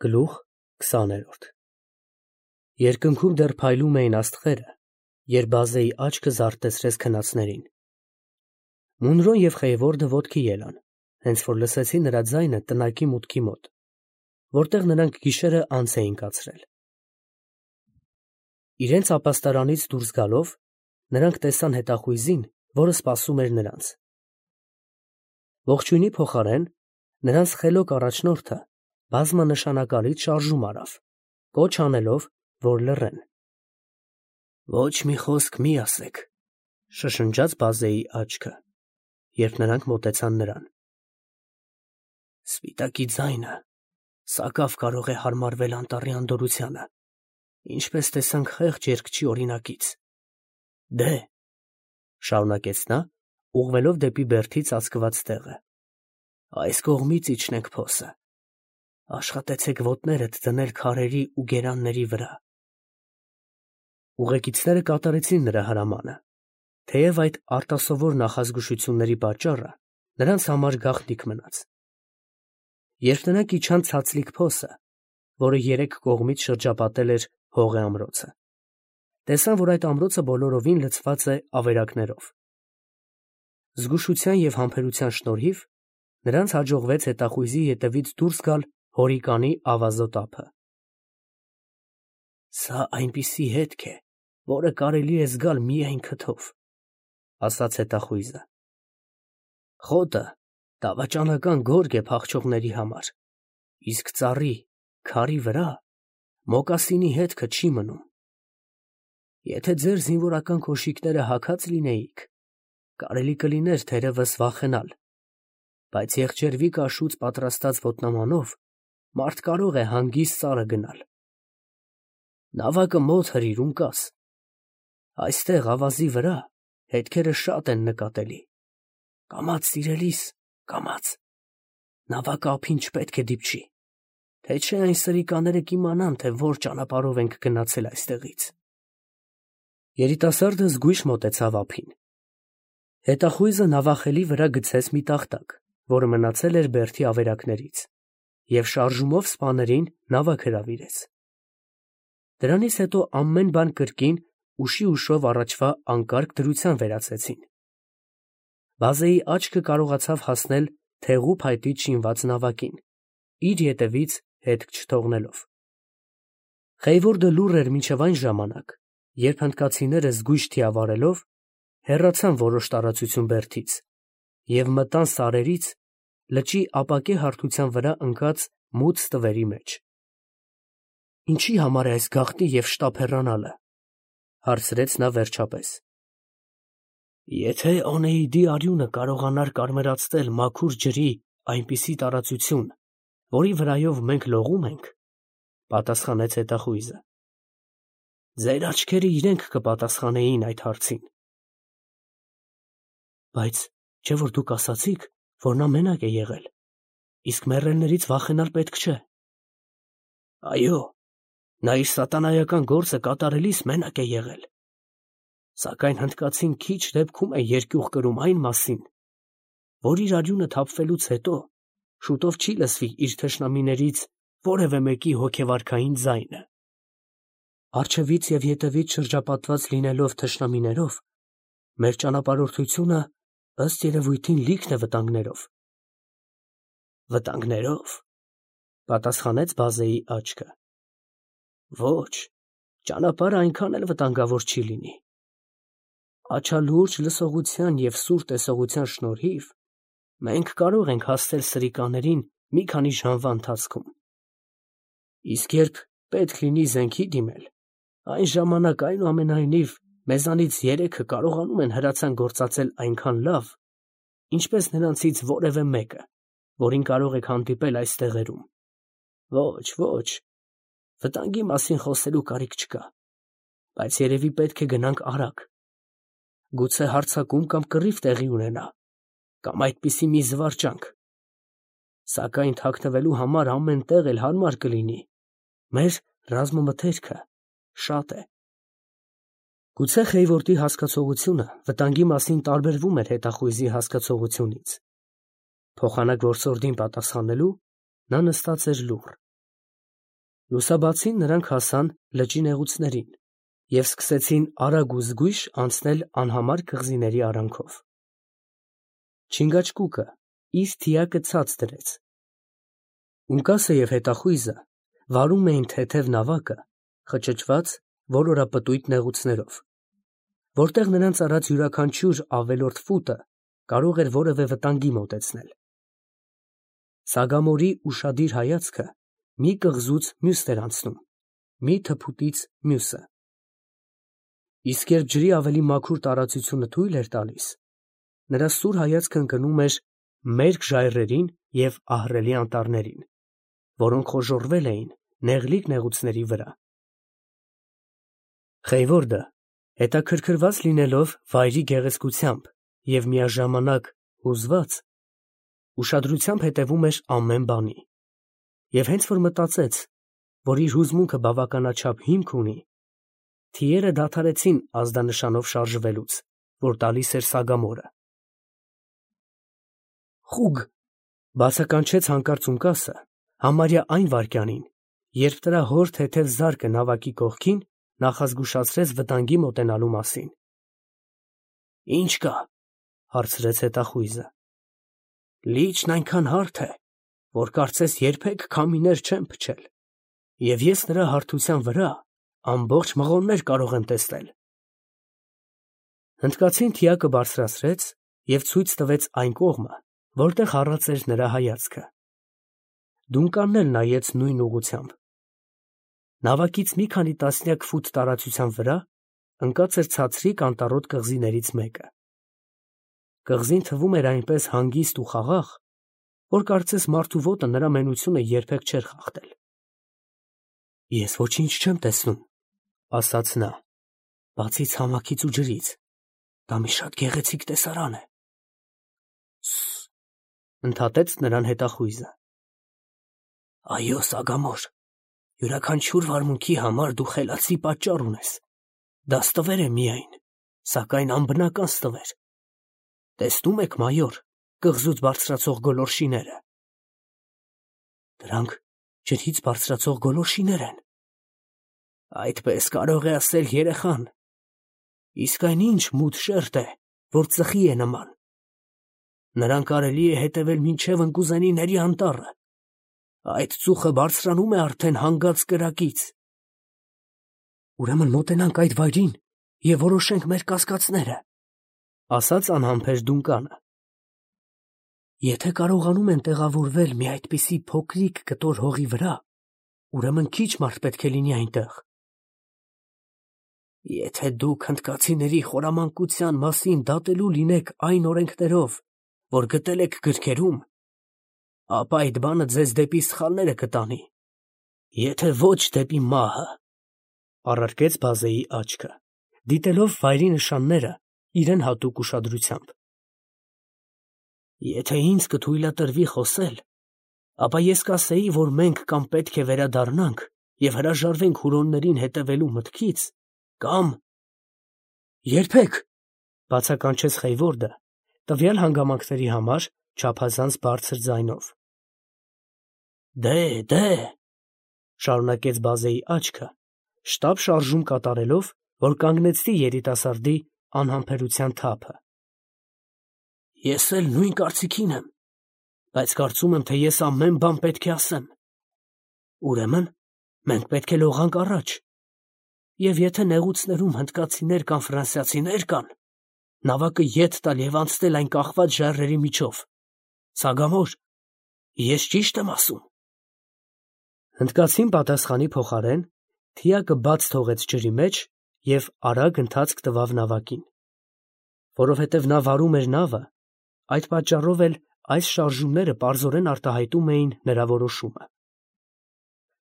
Գլուխ 20 Երկնքում դեռ փայլում էին աստղերը, երբ Բազեի աչքը զարթեցրեց քնածներին։ Մունրոն և Խեյվորդը ոտքի ելան, հենց որ լսեցին նրա ձայնը տնակի մուտքի մոտ, որտեղ նրանք գիշերը անց էին կացրել։ Իրենց ապաստարանից դուրս գալով, նրանք տեսան հետախույզին, որը սպասում էր նրանց։ Ողջույնի փոխարեն նրանց խելոք առաջնորդը բազմանշանակալից շարժում արավ, կոչ անելով, որ լռեն։ «Ոչ մի խոսք մի ասեք», շշնջաց Բազեի աչքը, երբ նրանք մոտեցան նրան։ «Սպիտակի ձայնը սակավ կարող է հարմարվել անտառի անդորրությանը, ինչպես տեսանք խեղճ երգչի օրինակից։ Դե՛, շարունակեց նա, ուղղվելով դեպի բերդի ծածկված տեղը, այս կողմից իջնենք փոսը։ Աշխատեցեք ոտներդ դնել քարերի ու գերանների վրա»։ Ուղեկիցները կատարեցին նրա հրամանը, թեև այդ արտասովոր նախազգուշությունների պատճառը նրանց համար գաղտնիք մնաց։ Երբ նրանք իջան ցածլիկ փոսը, որը երեք կողմից շրջապատել էր հողե ամրոցը, տեսան, որ այդ ամրոցը բոլորովին լցված է ավերակներով։ Զգուշության և համբերության շնորհիվ նրանց հաջողվեց հետախույզի ետևից դուրս գալ հորիկանի ավազոտ ափը։ «Սա այնպիսի հետք է, որը կարելի է զգալ միայն քթով», ասաց հետախույզը։ «Խոտը դավաճանական գորգ է փախչողների համար, իսկ ծառի, քարի վրա մոկասինի հետքը չի մնում։ Եթե ձեր զինվորական կոշիկները հագած լինեիք, կարելի կլիներ թերևս վախենալ, բայց եղջերվի կաշուց պատրաստած ոտնամանով մարդ կարող է հանգիստ սարը գնալ։ Նավակը մոտ հրիր, ունկաս։ Այստեղ ավազի վրա հետքերը շատ են նկատելի։ Կամաց, սիրելիս, կամաց։ Նավակը ափին չպետք է դիպչի, թե չէ այն սրիկաները կիմանան, թե որ ճանապարհով ենք գնացել այստեղից»։ Երիտասարդը զգույշ մոտեցավ ափին։ Հետախույզը նավախելի վրա գցեց մի տախտակ, որը մնացել էր բերդի ավերակներից, և շարժումով սպաներին նավակ հրավիրեց։ Դրանից հետո ամեն բան կրկին ուշիուշով առաջվա անկարգ դրության վերածեցին։ Բազեի աչքը կարողացավ հասնել թեղու փայտից շինված նավակին, իր ետևից հետք չթողնելով։ Խեյվորդը լուռ էր մինչև այն ժամանակ, երբ հնդկացիները զգույշ թիավարելով հեռացան որոշ տարածություն բերդից և մտան սարերից լճի ապակե հարթության վրա ընկած մութ ստվերի մեջ։ «Ինչի համար է այս գաղտնի և շտապ հեռանալը», հարցրեց նա վերջապես։ «Եթե Օնեիդի արյունը կարողանար կարմրացնել մաքուր ջրի այնպիսի տարածություն, որի վրայով մենք լողում ենք», պատասխանեց հետախույզը, «ձեր աչքերը իրենք կպատասխանեին այդ հարցին»։ «Բայց չէ՞ որ դուք ասացիք, որ նա մենակ է եղել, իսկ մեռելներից վախենալ պետք չէ»։ «Այո, նա իր սատանայական գործը կատարելիս մենակ է եղել, սակայն հնդկացին քիչ դեպքում է երկյուղ կրում այն մասին, որ իր արյունը թափվելուց հետո շուտով չի լսվի իր թշնամիներից որևէ մեկի հոգեվարքային ձայնը։ Առջևից և ետևից շրջապատված լինելով թշնամիներով, մեր ճանապարհորդությունը ըստ երևույթին լիքն է վտանգներով»։ «Վտանգներով», պատասխանեց Բազեի աչքը։ «Ոչ, ճանապարհը այնքան էլ վտանգավոր չի լինի։ Աչալուրջ լսողության և սուր տեսողության շնորհիվ մենք կարող ենք հասնել սրիկաներին մի քանի ժամվա ընթացքում։ Իսկ երբ պետք լինի զենքի դիմել, այն ժամանակ այնուամենայնիվ մեզանից երեքը կարողանում են հրացան գործածել այնքան լավ, ինչպես նրանցից որևէ մեկը, որին կարող եք հանդիպել այս տեղերում։ Ոչ, ոչ, վտանգի մասին խոսելու կարիք չկա, բայց երևի պետք է գնանք արագ։ Գուցե հարձակում կամ կռիվ տեղի ունենա, կամ այդպիսի մի զվարճանք։ Սակայն թաքնվելու համար ամեն տեղ էլ հարմար կլինի, մեր ռազմամթերքը շատ է»։ Գուցե Խեյվորդի հասկացողությունը վտանգի մասին տարբերվում էր հետախույզի հասկացողությունից։ Փոխանակ որսորդին պատասխանելու նա նստած էր լուռ։ Լուսաբացին նրանք հասան լճի նեղուցներին և սկսեցին արագ ու զգույշ անցնել անհամար կղզիների արանքով։ Չինգաչկուկը իր թիակը ցած դրեց։ Ունկասը և հետախույզը վարում էին թեթև նավակը, խճճված ոլորապտույտ նեղուցներով, որտեղ նրանց արած յուրաքանչյուր ավելորդ ֆուտը կարող էր որևէ վտանգի մոտեցնել։ Սագամորի ուշադիր հայացքը մի կղզուց մյուսն էր անցնում, մի թփուտից մյուսը։ Իսկ երբ ջրի ավելի մաքուր տարածությունը թույլ էր տալիս, նրա սուր հայացքը ընկնում էր մերկ ժայռերին և ահռելի անտառներին, որոնք խոժոռվել էին նեղլիկ նեղուցների վրա։ Խեյվորդը, հետաքրքրված լինելով վայրի գեղեցկությամբ և միաժամանակ հուզված, ուշադրությամբ հետևում էր ամեն բանի, և հենց որ մտածեց, որ իր հուզմունքը բավականաչափ հիմք ունի, թիերը դադարեցին ազդանշանով շարժվելուց, որ տալիս էր Սագամորը։ «Խուգ», բացականչեց հանկարծ Ունկասը, համարյա այն վայրկյանին, երբ նրա հոր թեթև զարկը նավակի կողքին նախազգուշացրեց վտանգի մոտենալու մասին։ «Ի՞նչ կա», հարցրեց հետախույզը։ «Լիճն այնքան հարթ է, որ կարծես երբեք քամիներ չեն փչել, և ես նրա հարթության վրա ամբողջ մղոններ կարող եմ տեսնել»։ Հնդկացին թիակը բարձրացրեց և ցույց տվեց այն կողմը, որտեղ առած էր նրա հայացքը։ Դունկանն էլ նայեց նույն ուղղությամբ։ Նավակից մի քանի տասնյակ ֆուտ տարածության վրա ընկած էր ցածրիկ անտառոտ կղզիներից մեկը։ Կղզին թվում էր այնպես հանգիստ ու խաղաղ, որ կարծես մարդու ոտը նրա մենությունը երբեք չէր խախտել։ «Ես ոչինչ չեմ տեսնում», ասաց նա, «բացի ցամաքից ու ջրից։ Դա մի շատ գեղեցիկ տեսարան է»։ «Սս», ընդհատեց նրան հետախույզը։ «Այո, Սագամոր, յուրաքանչյուր վարմունքի համար դու խելացի պատճառ ունես։ Դա ստվեր է միայն, սակայն անբնական ստվեր։ Տեսնում եք, մայոր, կղզուց բարձրացող գոլորշիները։ Դրանք ջրից բարձրացող գոլորշիներ են։ Այդպես կարող է ասել երեխան։ Իսկ այն ինչ մութ շերտ է, որ ծխի է նման։ Նրան կարելի է հետևել մինչև ընկուզենիների անտառը։ Այդ ծուխը բարձրանում է արդեն հանգած կրակից։ Ուրեմն մոտենանք այդ վայրին և որոշենք մեր կասկածները, ասաց անհամբեր Դունկանը։ Եթե կարողանում են տեղավորվել մի այդպիսի փոքրիկ կտոր հողի վրա, ուրեմն քիչ մարդ պետք է լինի այնտեղ։ Եթե դուք հնդկացիների խորամանկության մասին դատելու լինեք այն օրենքներով, որ գտել եք գրքերում, ապա այդ բանը ձեզ դեպի սխալները կտանի, եթե ոչ դեպի մահը, առարկեց բազեի աչքը, դիտելով վայրի նշանները իրեն հատուկ ուշադրությամբ։ Եթե ինձ կթույլատրվի խոսել, ապա ես կասեի, որ մենք կամ պետք է վերադառնանք և հրաժարվենք հուրոններին հետևելու մտքից, կամ… Երբեք, բացականչեց Խեյվորդը, տվյալ հանգամանքների համար չափազանց բարձր ձայնով։ Դե, շարունակեց բազեի աչքը, շտապ շարժում կատարելով, որ կանգնեցնի երիտասարդի անհամբերության թափը։ Ես էլ նույն կարծիքին եմ, բայց կարծում եմ, թե ես ամեն բան պետք է ասեմ։ Ուրեմն, մենք պետք է լողանք առաջ, և եթե նեղուցներում հնդկացիներ կամ ֆրանսիացիներ կան, նավակը ետ տալ և անցնել այն կախված ժայռերի միջով։ Սագամոր, ես ճիշտ եմ ասում։ Հնդկացին պատասխանի փոխարեն թիակը բաց թողեց ջրի մեջ և արագ ընթացք տվավ նավակին։ Որովհետև նա վարում էր նավը, այդ պատճառով էլ այս շարժումները պարզորեն արտահայտում էին նրա որոշումը։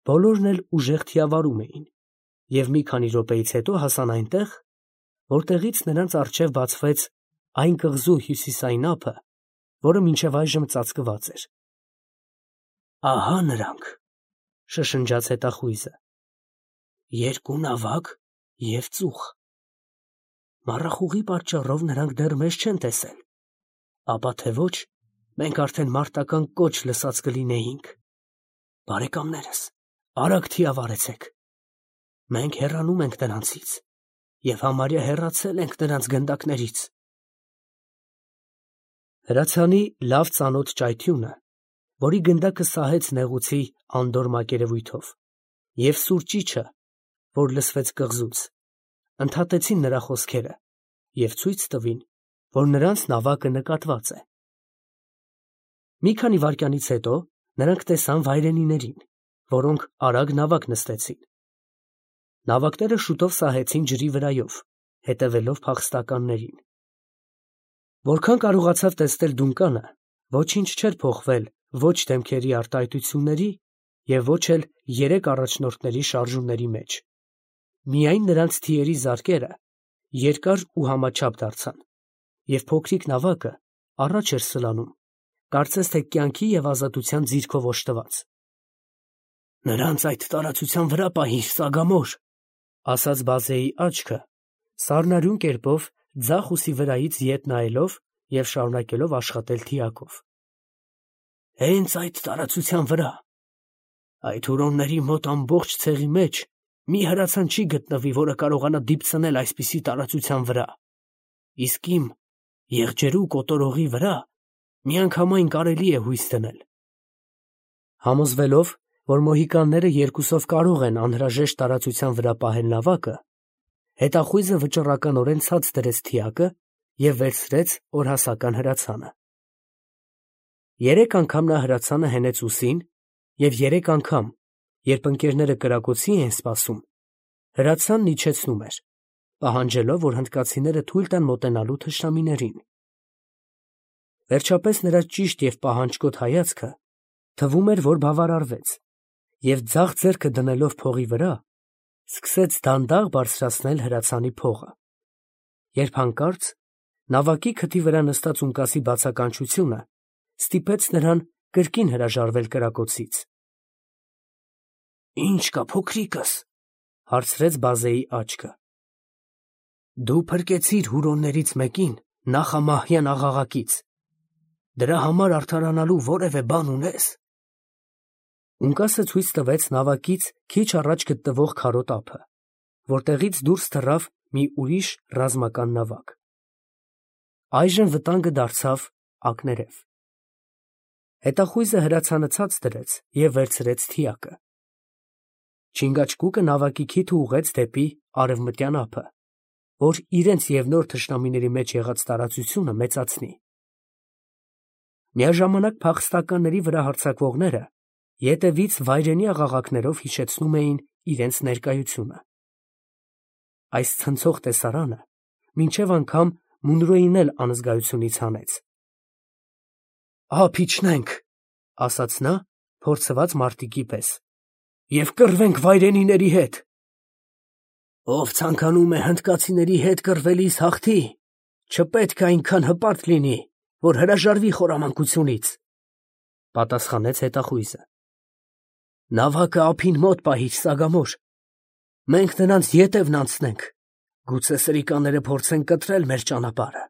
Բոլորն էլ ուժեղ թիավարում էին, և մի քանի րոպեից հետո հասան այնտեղ, որտեղից նրանց առջև բացվեց այն կղզու հյուսիսային ափը, որը մինչև այժմ ծածկված էր։ Ահա նրանք, շշնջաց հետախույզը, երկու նավակ և ծուխ։ Մառախուղի պատճառով նրանք դեռ մեզ չեն տեսել, ապա թե ոչ, մենք արդեն մարտական կոչ լսած կլինեինք։ Բարեկամներս, Արագ թիավարեցեք։ Մենք հեռանում ենք նրանցից և համարյա հեռացել ենք նրանց գնդակներից։ Հրացանի լավ ծանոթ ճայթյունը, որի գնդակը սահեց նեղուցի անդորր մակերևույթով, և սուր ճիչը, որ լսվեց կղզուց, ընդհատեցին նրա խոսքերը և ցույց տվին, որ նրանց նավակը նկատված է։ Մի քանի վայրկյանից հետո նրանք տեսան վայրենիներին, որոնք արագ նավակ նստեցին։ Նավակները շուտով սահեցին ջրի վրայով, հետևելով փախստականներին։ Որքան կարողացավ տեսնել Դունկանը, ոչինչ չէր փոխվել ոչ դեմքերի արտահայտությունների և ոչ էլ երեք առաջնորդների շարժումների մեջ։ Միայն նրանց թիերի զարկերը երկար ու համաչափ դարձան, և փոքրիկ նավակը առաջ էր սլանում, կարծես թե կյանքի և ազատության ձիրքով օժտված։ «Նրանց այդ տարածության վրա պահիր, Սագամոր», ֊ ասաց Բազեի աչքը, սառնարյուն կերպով ձախ ուսի վրայից ետ նայելով և շարունակելով աշխատել թիակով։ «Հենց այդ տարածության վրա։ Այդ հուրոնների մոտ ամբողջ ցեղի մեջ մի հրացան չի գտնվի, որը կարողանա դիպցնել այսպիսի տարածության վրա, իսկ իմ եղջերու կոտորողի վրա միանգամայն կարելի է հույս դնել»։ Համոզվելով, որ մոհիկանները երկուսով կարող են անհրաժեշտ տարածության վրա պահել նավակը, հետախույզը վճռականորեն ցած դրեց թիակը և վերցրեց օրհասական հրացանը։ Երեք անգամ նա հրացանը հենեց ուսին, և երեք անգամ, երբ ընկերները կրակոցի էին սպասում, հրացանն իջեցնում էր, պահանջելով, որ հնդկացիները թույլ տան մոտենալու թշնամիներին։ Վերջապես նրա ճիշտ և պահանջկոտ հայացքը թվում էր, որ բավարարվեց, և ձախ ձեռքը դնելով փողի վրա, սկսեց դանդաղ բարձրացնել հրացանի փողը, երբ հանկարծ նավակի քթի վրա նստած ունկասի բացականչությունը ստիպեց նրան կրկին հրաժարվել կրակոցից։ «Ի՞նչ կա, փոքրիկս», ֊ հարցրեց Բազեի աչքը։ «Դու փրկեցիր հուրոններից մեկին նախամահյան աղաղակից. դրա համար արդարանալու որևէ բան ունե՞ս»։ Ունկասը ցույց տվեց նավակից քիչ առաջ գտնվող քարոտ ափը, որտեղից դուրս թռավ մի ուրիշ ռազմական նավակ։ Այժմ վտանգը դարձավ ակներև։ Հետախույզը հրացանը ցած դրեց և վերցրեց թիակը։ Չինգաչգուկը նավակի քիթը ուղղեց դեպի արևմտյան ափը, որ իրենց և նոր թշնամիների մեջ եղած տարածությունը մեծացնի։ Միաժամանակ փախստականների վրա հարձակվողները ետևից վայրենի աղաղակներով հիշեցնում էին իրենց ներկայությունը։ Այս ցնցող տեսարանը մինչև անգամ Մունրոյին էլ անզգայությունից հանեց։ «Ափ իջնենք», ֊ ասաց նա փորձված մարտիկի պես, «և կռվենք վայրենիների հետ»։ «Ով ցանկանում է հնդկացիների հետ կռվելիս հաղթի, չպետք է այնքան հպարտ լինի, որ հրաժարվի խորամանկությունից», ֊ պատասխանեց հետախույզը։ «Նավակը ափին մոտ պահիր, Սագամոր, մենք նրանց ետևն անցնենք, գուցե սրիկաները փորձեն կտրել մեր ճանապարհը»։